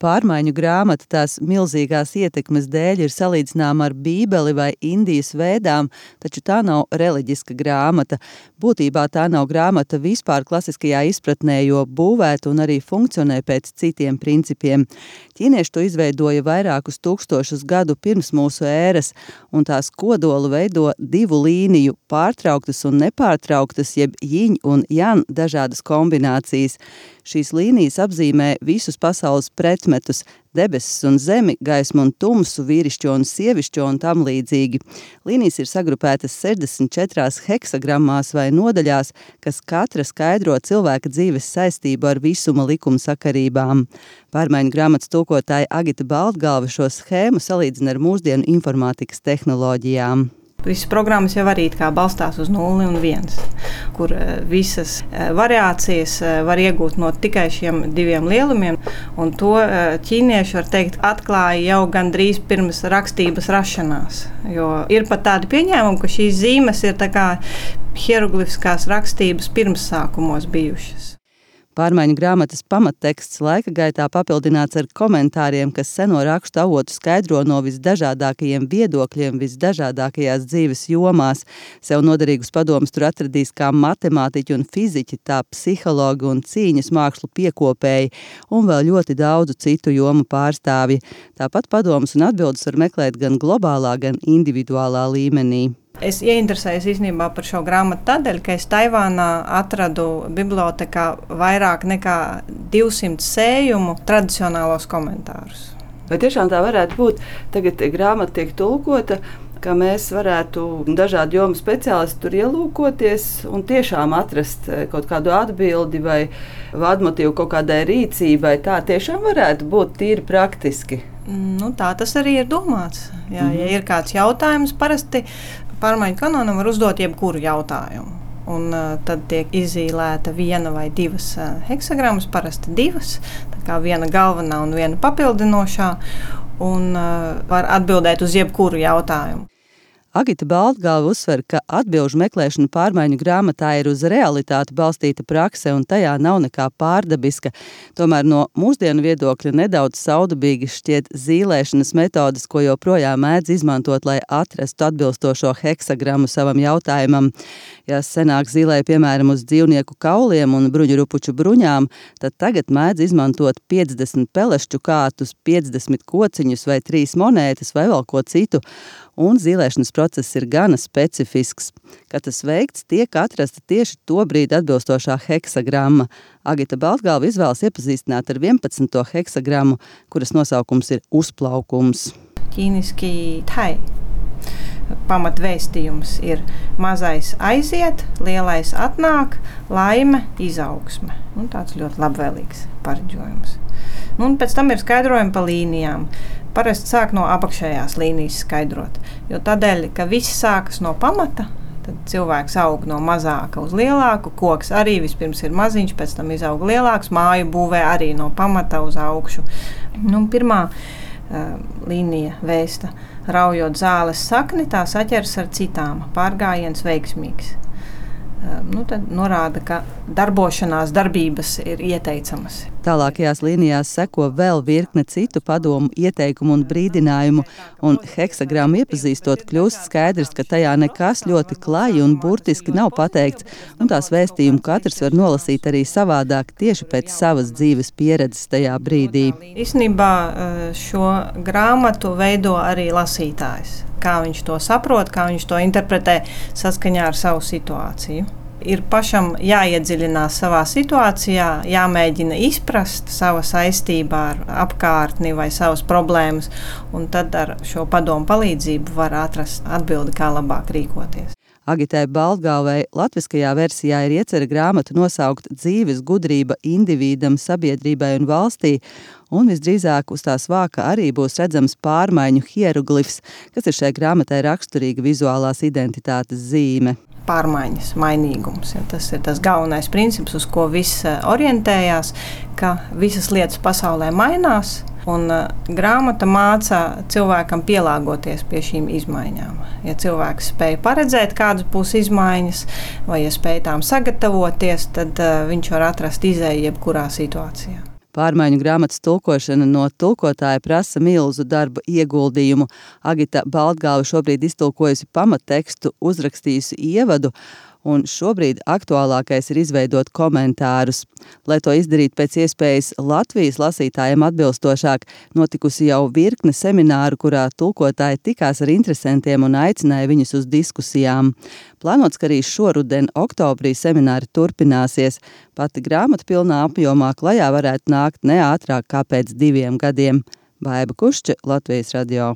Pārmaiņu grāmata tās milzīgās ietekmes dēļ ir salīdzināma ar Bībeli vai Indijas vēdām, taču tā nav reliģiska grāmata. Būtībā tā nav grāmata vispār klasiskajā izpratnē, jo būvēta un arī funkcionē pēc citiem principiem. Ķīnieši to izveidoja vairākus tūkstošus gadu pirms mūsu ēras, un tās kodolu veido 2 līniju – pārtrauktas un nepārtrauktas, jeb jiņ un jan dažādas kombinācijas. Šīs līnijas apzīmē visus pasaules pretmetus – debesis un zemi, gaismu un tumsu, vīrišķo un sievišķo un tam līdzīgi. Līnijas ir sagrupētas 64 heksagrammās vai nodaļās, kas katra skaidro cilvēka dzīves saistību ar visuma likumsakarībām. Pārmaiņu grāmatas tulkotāja Agita Baltgalva šo schēmu salīdzina ar mūsdienu informātikas tehnoloģijām. Visas programmas jau arī balstās uz 0 un 1, kur visas variācijas var iegūt no tikai šiem 2 lielumiem. Un to ķīnieši, var teikt, atklāja jau gandrīz pirms rakstības rašanās. Jo ir pat tādi pieņēmumi, ka šīs zīmes ir tā kā hieroglifiskās rakstības pirmsākumos bijušas. Pārmaiņu grāmatas pamatteksts laika gaitā papildināts ar komentāriem, kas seno rakstu avotu skaidro no visdažādākajiem viedokļiem, visdažādākajās dzīves jomās. Sev noderīgus padomus tur atradīs kā matemātiķi un fiziķi, tā psihologi un cīņas mākslu piekopēji un vēl ļoti daudzu citu jomu pārstāvji. Tāpat padomus un atbildes var meklēt gan globālā, gan individuālā līmenī. Es ieinteresējos īstenībā par šo grāmatu tādēļ, ka es Taivānā atradu bibliotekā vairāk nekā 200 sējumu tradicionālos komentārus. Vai tiešām tā varētu būt? Tagad grāmata tiek tulkota, ka mēs varētu dažādu jomu speciālisti tur ielūkoties un tiešām atrast kaut kādu atbildi vai vadmotīvu kaut kādai rīcībai. Tā tiešām varētu būt tīri praktiski. Tā tas arī ir domāts. Jā, ja ir kāds jautājums, parasti pārmaiņu kanonam var uzdot jebkuru jautājumu. Un tad tiek izīlēta 1 vai 2 heksagrammas, parasti 2, tā kā 1 galvenā un 1 papildinošā, un var atbildēt uz jebkuru jautājumu. Agita Baltgalva uzsver, ka atbilžu meklēšana pārmaiņu grāmatā ir uz realitāti balstīta prakse un tajā nav nekā pārdabiska. Tomēr no mūsdienu viedokļa nedaudz saudabīgi šķiet zīlēšanas metodas, ko joprojām mēdz izmantot, lai atrastu atbilstošo heksagrammu savam jautājumam. Ja senāk zīlēja piemēram uz dzīvnieku kauliem un bruņurupuču bruņām, tad tagad mēdz izmantot 50 pelešķu kārtus, 50 kociņus vai 3 monētas vai vēl ko citu. Un zīlēšanas process ir gana specifisks. Kad tas veikts, tiek atrasta tieši to brīdi atbilstošā heksagramma. Agita Baltgalva izvēlas iepazīstināt ar 11. heksagrammu, kuras nosaukums ir uzplaukums. Ķīniski tai. Pamatvēstījums ir mazais aiziet, lielais atnāk, laime, izaugsme. Tāds ļoti labvēlīgs pareģojums. Un pēc tam ir skaidrojumi pa līnijām. Parasti sāk no apakšējās līnijas skaidrot, jo tādēļ, ka viss sākas no pamata, tad cilvēks aug no mazāka uz lielāku, koks arī vispirms ir maziņš, pēc tam izaug lielāks, māju būvē arī no pamata uz augšu. Pirmā līnija vēsta, raujot zāles sakni, tā saķers ar citām, pārgājiens veiksmīgs. Tad norāda, ka darbošanās darbības ir ieteicamas. Tālākajās līnijās seko vēl virkne citu padomu, ieteikumu un brīdinājumu, un heksagrammu iepazīstot kļūst skaidrs, ka tajā nekas ļoti klaji un burtiski nav pateikts, un tās vēstījumu katrs var nolasīt arī savādāk tieši pēc savas dzīves pieredzes tajā brīdī. Īstenībā šo grāmatu veido arī lasītājs. Kā viņš to saprot, kā viņš to interpretē saskaņā ar savu situāciju. Ir pašam jāiedziļinās savā situācijā, jāmēģina izprast sava saistībā ar apkārtni vai savas problēmas, un tad ar šo padomu palīdzību var atrast atbildi, kā labāk rīkoties. Agitai Baltgalvai latviskajā versijā ir iecerta grāmatu nosaukt dzīves gudrība individam, sabiedrībai un valstī, un visdrīzāk uz tās vāka arī būs redzams pārmaiņu hieroglifs, kas ir šai grāmatai raksturīga vizuālās identitātes zīme. Pārmaiņas, mainīgums. Tas ir tas galvenais princips, uz ko viss orientējās, ka visas lietas pasaulē mainās, un grāmata māca cilvēkam pielāgoties pie šīm izmaiņām. Ja cilvēks spēj paredzēt, kādas būs izmaiņas, vai ja spēj tām sagatavoties, tad viņš var atrast izēju jebkurā situācijā. Pārmaiņu grāmatas tulkošana no tulkotāja prasa milzu darba ieguldījumu. Agita Baltgalva šobrīd iztulkojusi pamattekstu, uzrakstījusi ievadu, un šobrīd aktuālākais ir izveidot komentārus. Lai to izdarītu pēc iespējas Latvijas lasītājiem atbilstošāk, notikusi jau virkne semināru, kurā tulkotāji tikās ar interesantiem un aicināja viņus uz diskusijām. Plānots, ka arī šoruden oktobrī semināri turpināsies. Pati grāmata pilnā apjomā klajā varētu nākt ne ātrāk kā pēc 2 gadiem. Baiba Kušče, Latvijas radio.